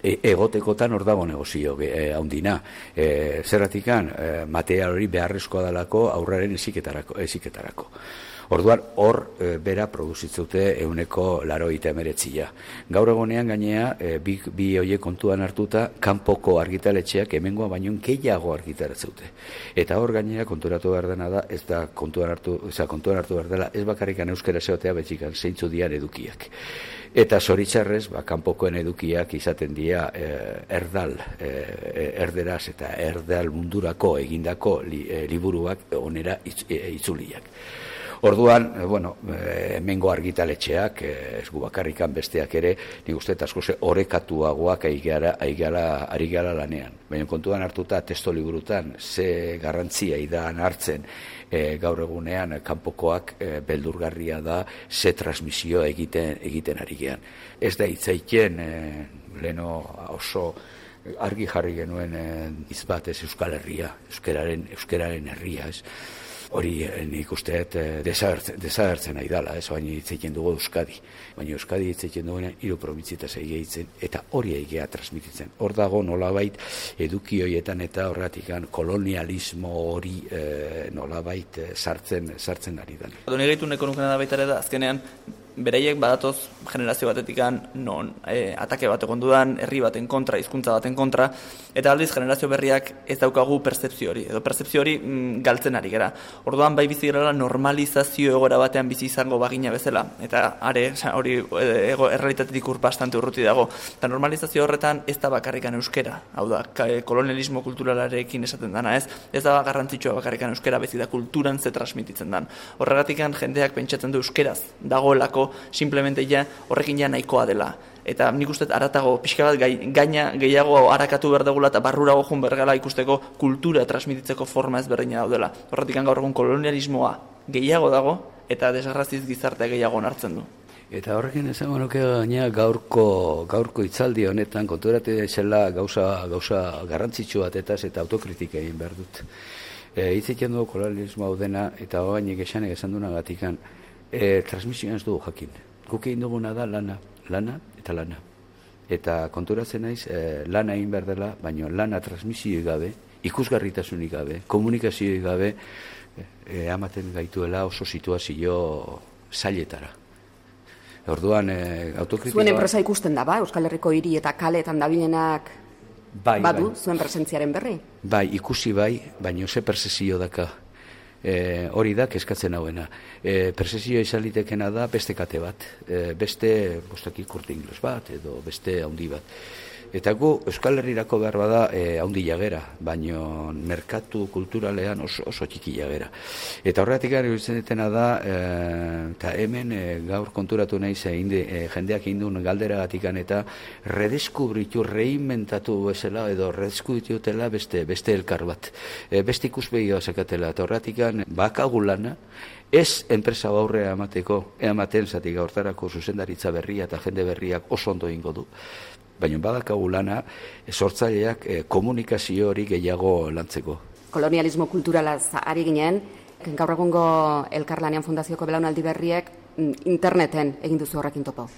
Egotekotan hor dago negozio handina. Zerratikan, material hori beharrezkoa dalako aurraren eziketarako. Orduan, hor bera produzitzute 89%. Gaur egonean gainea, bi hoiek kontuan hartuta, kanpoko argitaletxeak hemengoa baino gehiago argitaratzeute. Eta hor gainea konturatu behar dena da, ez da kontuan hartu behar dela, ez bakarrikan euskara zeotea betxikan zeintzu dian edukiak. Eta zoritxarrez, kanpokoen edukiak izaten dira erderaz eta erdal mundurako egindako liburuak onera itzuliak. Orduan, hemengo argitaletxeak, ez gu bakarrikan besteak ere, nik uste asko orekatuagoak ari gara lanean. Baina kontuan hartuta testo liburutan ze garrantzia idan hartzen gaur egunean kanpokoak beldurgarria da ze transmisio egiten ari gean. Ez da hitzaiten leno oso argi jarri genuen izbat ez Euskal Herria, euskararen herria, ez. Hori nik usteet desagertzen nahi dela, baina hitzeiten dugu Euskadi. Baina Euskadi hitzeiten dugu 3 probintzietaz egeitzen, eta hori egea transmititzen. Hor dago nolabait eduki horietan eta horretikan kolonialismo hori nolabait sartzen ari da. Doni gaitu neko nukena da baita ere da, azkenean, beraiek badatoz generazio batetikan non atake bat egon dudan, herri baten kontra, hizkuntza baten kontra, eta aldiz generazio berriak ez daukagu pertzepzio hori, edo pertzepzio hori galtzen ari gara. Orduan bai bizi gara normalizazio egoera batean bizi izango bagina bezala, eta hori errealitatetik bastante urruti dago. Eta normalizazio horretan ez da bakarrikan euskera, hau da, kolonialismo kulturalarekin esaten dana, ez da garrantzitsua bakarrikan euskera, bezi da kulturan ze transmititzen dan. Horregatikan jendeak pentsatzen du euskeraz dagoelako simplemente horrekin nahikoa dela. Eta nik uste aratago pixka bat gaina gehiago harakatu behar dugula eta barrurago joan bergala ikusteko kultura transmititzeko forma ezberdina daudela. Horretik gaur egun kolonialismoa gehiago dago eta desgraziz gizartea gehiago onartzen du. Eta horrekin esango nuke gaina gaurko hitzaldi honetan konturatu daizela gauza garrantzitsu batetaz eta autokritika egin behar dut. Hitzeiten dugu kolonialismo hau dena eta hogainik esan dunagatikan transmisioan ez dugu jakin. Guk egin duguna da lana. Eta konturatzen naiz, lana egin behar dela, baina lana transmisioi gabe, ikusgarritasunik gabe, komunikazioik gabe, ematen gaituela oso situazio zailetara. Orduan, autokritikoa... Zuen enpresa ikusten da, Euskal Herriko hiri eta kaleetan dabilenak badu, zuen presentziaren berri? Bai, ikusi baina ze percepzio daka. Hori da, kezkatzen hauena. Percepzioa izalitekena da beste kate bat, beste Corte Inglés bat, edo beste haundi bat. Eta gu Euskal Herrirako behar bada haundi jagera, baino merkatu kulturalean oso txiki jagera. Eta horretik iruditzen detena da, eta hemen gaur konturatu nahi jendeak indun galderagatikan eta redeskubritu, reinventatu bezala edo redeskubritutela beste elkar bat. Beste ikuspegioa zekatela, eta horretik bakagu lana, ez enpresa aurrea ematen zatik hortarako zuzendaritza berria eta jende berriak oso ondo ingo du. Baina badakagu lana, sortzaileak komunikazio hori gehiago lantzeko. Kolonialismo kulturalaz ari ginen, gaur egungo Elkarlanean Fundazioko belaunaldi berriek interneten egin duzu horrekin topo.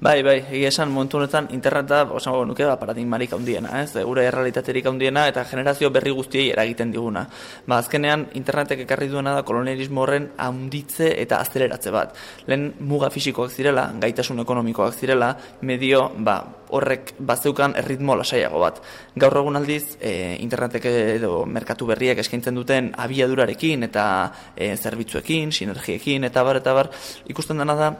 Bai, egia esan momentu honetan interneta nuke paradigmarik handiena, gure errealitaterik handiena eta generazio berri guztiei eragiten diguna. Azkenean internetek ekarri duena da kolonialismo horren handitze eta azeleratze bat. Lehen muga fisikoak zirela, gaitasun ekonomikoak zirela, medio horrek bazeukan erritmo lasaiago bat. Gaur egun aldiz, internetek edo merkatu berriek eskaintzen duten abiadurarekin eta zerbitzuekin, sinergiekin eta bar, ikusten dena da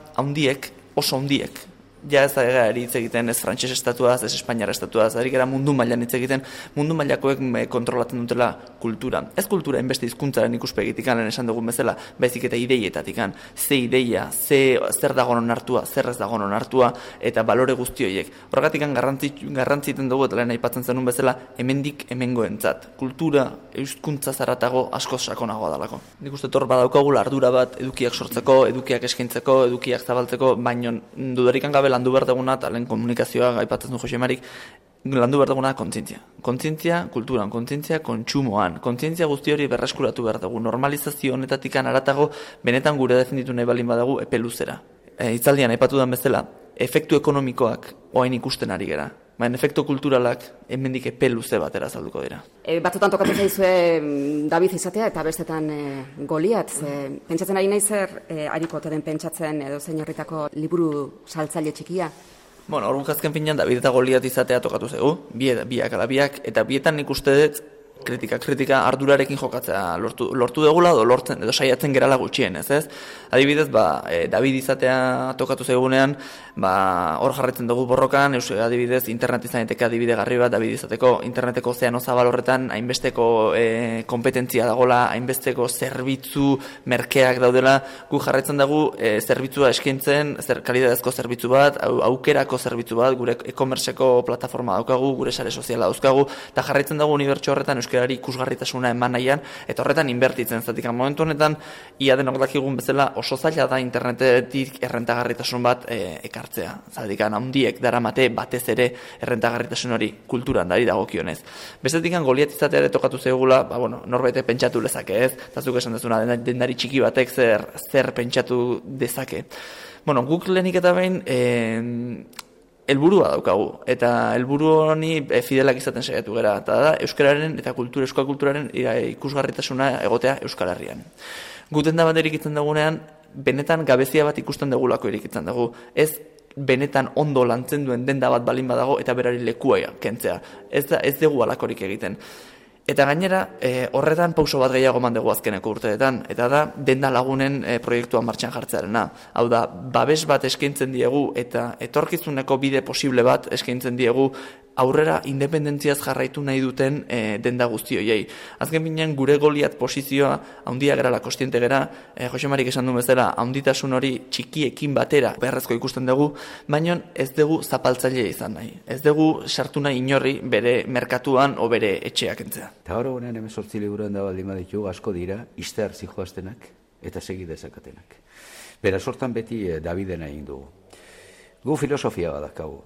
oso handiek ja ez da hitz egiten ez frantses estatuaz, ez espainiar estatuaz, ari gara mundu mailan hitz egiten, mundu mailakoek kontrolatzen dutela kultura. Ez kultura inbeste hizkuntzaren ikuspegitikan lehen esan dugun bezala, baizik eta ideietatikan. Ze ideia, zer dago onartua, zer ez dago onartua, eta balore guzti horiek. Horregatikan garrantziten dugu, eta lehen aipatzen zenun bezala, hemendik hemengoentzat. Kultura, hizkuntza zaratago asko sakonagoa dalako. Nik uste hor badaukagula ardura bat edukiak sortzeko, edukiak eskaintzeko, edukiak zabaltzeko, baino dudarikan gabe landu behar duguna, eta lehen komunikazioa aipatzen du Jose Marik, landu behar duguna kontzientzia. Kontzientzia kulturan, kontzientzia kontsumoan, kontzientzia guzti hori berreskuratu behar dugu. Normalizazio honetatikan aratago, benetan gure defenditu nahi balin badagu epe luzera. Hitzaldian aipatu den bezala, efektu ekonomikoak orain ikusten ari gera. Baina efektu kulturalak hemendik epe luze batera azalduko dira. Batzutan tokatu zaizue David izatea eta bestetan Goliat. Pentsatzen ari nahi zer hariko ote den pentsatzen edo zein horretako liburu saltzaile txikia? Bueno, hor azken finean David eta Goliat izatea tokatu zaigu, biak ala biak, eta bietan nik uste dut kritika ardurarekin jokatzea lortu dugula edo saiatzen gerala gutxienez, ez? Adibidez, David izatea tokatu zaigunean, hor jarretzen dugu borrokan, adibidez, internet izaneteke adibide garri bat, David izateko interneteko ozeano zabal horretan, hainbesteko kompetentzia dagola, hainbesteko zerbitzu merkeak daudela, gu jarretzen dugu zerbitzua eskaintzen, kalidadezko zerbitzu bat, aukerako zerbitzu bat, gure e-commerceko plataforma daukagu, gure sare soziala dauzkagu, eta jarretzen dugu unibertso horretan euskarari ikusgarritasuna eman nahian, eta horretan inbertitzen zatik. Momentu honetan, ia denok dakigun bezala oso zaila da internetetik errentagarritasun bat ekartzea. Zatik, handiek daramate batez ere errentagarritasun hori kulturan dari dagokionez. Bestetik, Goliat izatea ere tokatu zeugula, norbait pentsatu lezake ez, zazuk esan dezuna, dendari txiki batek zer pentsatu dezake. Guk lehenik eta behin helburua daukagu, eta helburu honi fidelak izaten saiatu gara, eta da euskararen eta euskal kulturaren ikusgarritasuna egotea Euskal Herrian. Guten da bat erikitzen dagunean, benetan gabezia bat ikusten degulako erikitzen dugu. Ez benetan ondo lantzen duen denda bat balin badago eta berari lekua kentzea. Ez dugu alakorik egiten. Eta gainera, horretan pauso bat gehiago mandegu azkeneko urteetan, eta da denda lagunen proiektua martxan jartzearena. Hau da, babes bat eskaintzen diegu eta etorkizuneko bide posible bat eskaintzen diegu aurrera independentziaz jarraitu nahi duten denda guzti horiei. Azken binean gure Goliat posizioa haundia gerala kostiente gera, Jose Marik esan duen bezala, haunditasun hori txikiekin batera beharrezko ikusten dugu, baina ez dugu zapaltzailea izan nahi. Ez dugu sartu nahi inorri bere merkatuan o bere etxeak entzea. Eta hori honean 18 liburuan da baldin baditu asko dira, izte hartzi joaztenak eta segi dezakatenak. Bera sortan beti Daviden egin dugu. Gu filosofia badakagu.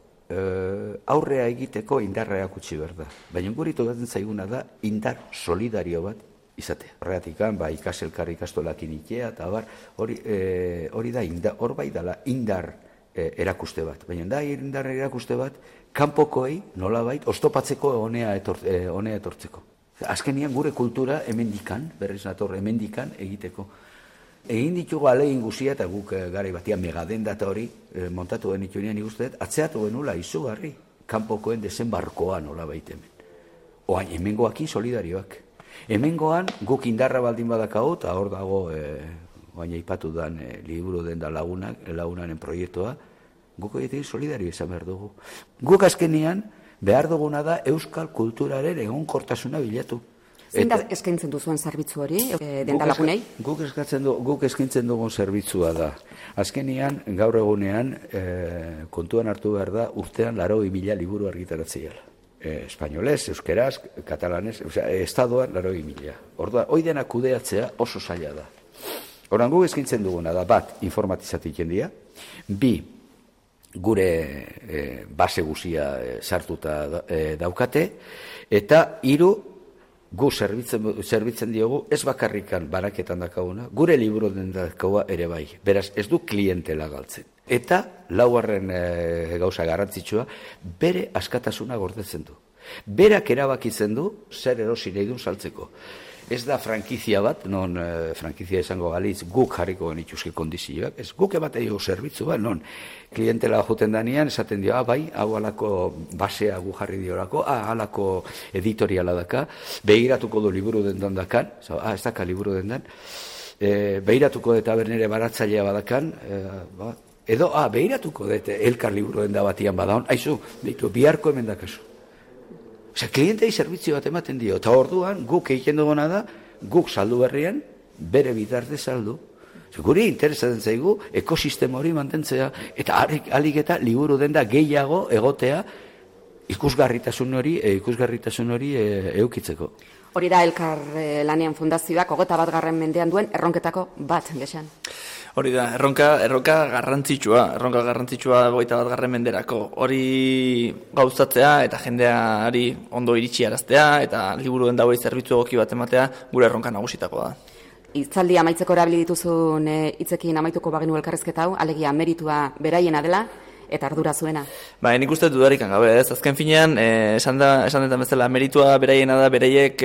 Aurrea egiteko indarra erakutsi behar da. Baina guri tokatzen zaiguna da indar solidario bat izatea. Horregatik, ikaselkar ikastolakin ikea, eta hori da, hor bai dala indar erakuste bat. Baina da indar erakuste bat, kanpokoei nolabait oztopatzeko honea etortzeko. Azkenian gure kultura hemendikan, berriz nator hemendikan egiteko. Egin ditugu alegin guzia eta guk garai batian megadenda eta hori montatu genituenean ikusteet, atzeatu genula izugarri, kanpokoen desenbarkoa nola baita hemen. Oain, hemengoakin solidarioak. Hemengoan guk indarra baldin badakau, eta hor dago, oain aipatu dan liburu den da lagunaren proiektua, guk horietik solidario izan behar dugu. Guk azkenian behar duguna da euskal kulturaren egonkortasuna bilatu. Zein da eskaintzen duzuen zerbitzu hori, dendalagunei? Guk eskaintzen dugun zerbitzua da. Azkenean, gaur egunean, kontuan hartu behar da, urtean 80.000 liburu argitaratzea. Espainolez, euskeraz, katalanez, estadoan 80.000. Orduan, hoi dena kudeatzea oso zaila da. Horan guk eskaintzen duguna da, bat, informatizatik jendia, bi, gure base guzia sartuta daukate, eta hiru, gu zerbitzen diogu, ez bakarrikan banaketan dakaguna, gure liburu den dakaua ere bai. Beraz, ez du klientela galtzen. Eta, laugarren gauza garrantzitsua, bere askatasuna gordetzen du. Berak erabakitzen du, zer erosi nahi dun saltzeko. Ez da frankizia bat, non frankizia izango galitz guk jarriko genituzke kondizioak, ez guk ematen dugu zerbitzu bat, non klientela juten danean, esaten dio, bai, hau alako basea gu jarri diorako, alako editoriala daka, behiratuko du liburu dendan dakan, ez daka liburu dendan, behiratuko eta bernere baratzailea badakan, Edo, behiratuko dute elkar liburu denda batian badaun, aizu, ditu, biharko hemen dakazu. Osea, klientei servizio bat ematen dio, eta orduan guk egiten duguna da, guk saldu berrien, bere bitarte saldu. Guri interesatzen zaigu ekosistema hori mantentzea, eta alik eta liburu denda gehiago egotea ikusgarritasun hori eukitzeko. Hori da Elkar Lanean Fundazioak 21. mendean duen erronketako bat, Gexan. Hori da, erronka garrantzitsua 21. menderako. Hori gauzatzea eta jendeari ondo iritsi araztea eta liburu den dauei zerbitzu egoki bat ematea gure erronka nagusitakoa da. Hitzaldi amaitzeko erabili dituzun hitzekin amaituko bagenu elkarrizketa hau, alegia meritua beraiena dela eta ardura zuena. Nik uste dudarik gabe, ez? Azken finean, esan detan bezala, meritua beraiena da, bereiek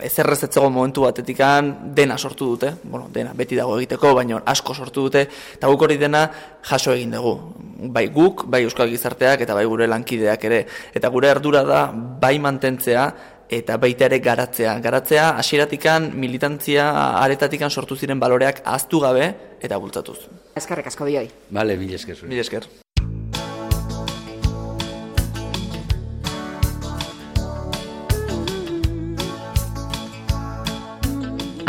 ezerrez etzego momentu batetikan dena sortu dute, dena beti dago egiteko, baina asko sortu dute, eta guk hori dena jaso egin dugu. Bai guk, bai euskal gizarteak, eta bai gure lankideak ere. Eta gure ardura da, bai mantentzea, eta baita ere garatzea hasieratikan militantzia aretatikan sortu ziren baloreak ahaztu gabe eta bultzatuz. Eskerrik asko bioi. Bale, mil esker. Mil esker.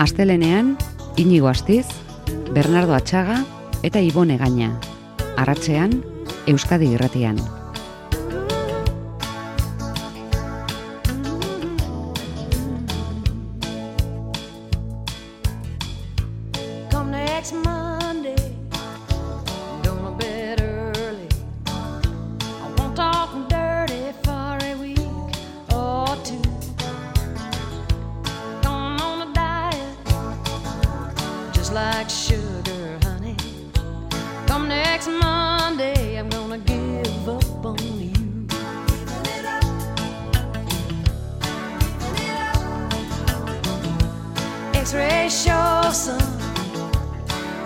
Astelenean, Inigo Astiz, Bernardo Atxaga eta Ibone Gaina. Arratsean, Euskadi Irratian. Like sugar, honey. Come next Monday, I'm gonna give up on you. X-ray shows some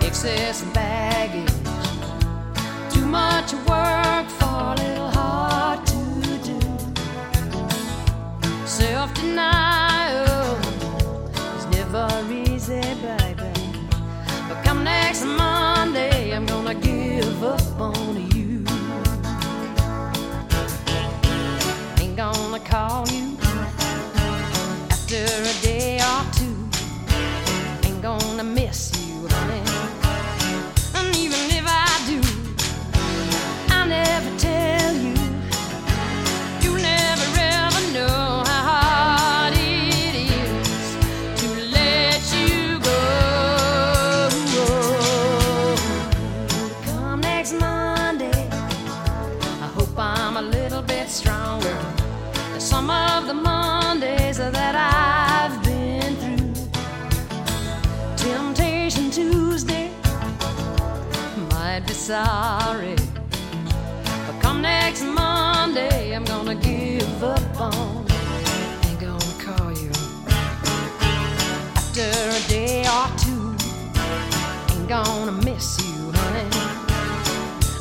excess baggage. Too much work for a little hard to do. Self-denial is never easy, baby. Come next Monday, I'm gonna give up on you. Ain't gonna call you after a day or two. Ain't gonna miss you, honey. And even if I do, I'll never tell you. You'll never ever know how hard it is to let you go. I'm a little bit stronger than some of the Mondays that I've been through. Temptation Tuesday might be sorry, but come next Monday I'm gonna give up on. Ain't gonna call you after a day or two. Ain't gonna miss you, honey.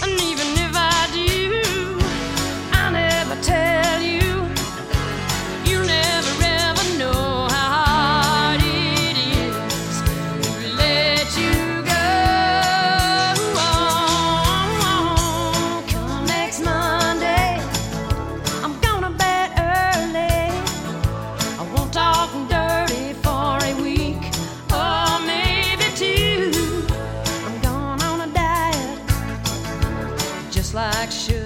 And even if I do, tell you, you never ever know how hard it is to let you go. Come next Monday, I'm gonna bed early. I won't talk dirty for a week or maybe two. I'm going on a diet just like sugar.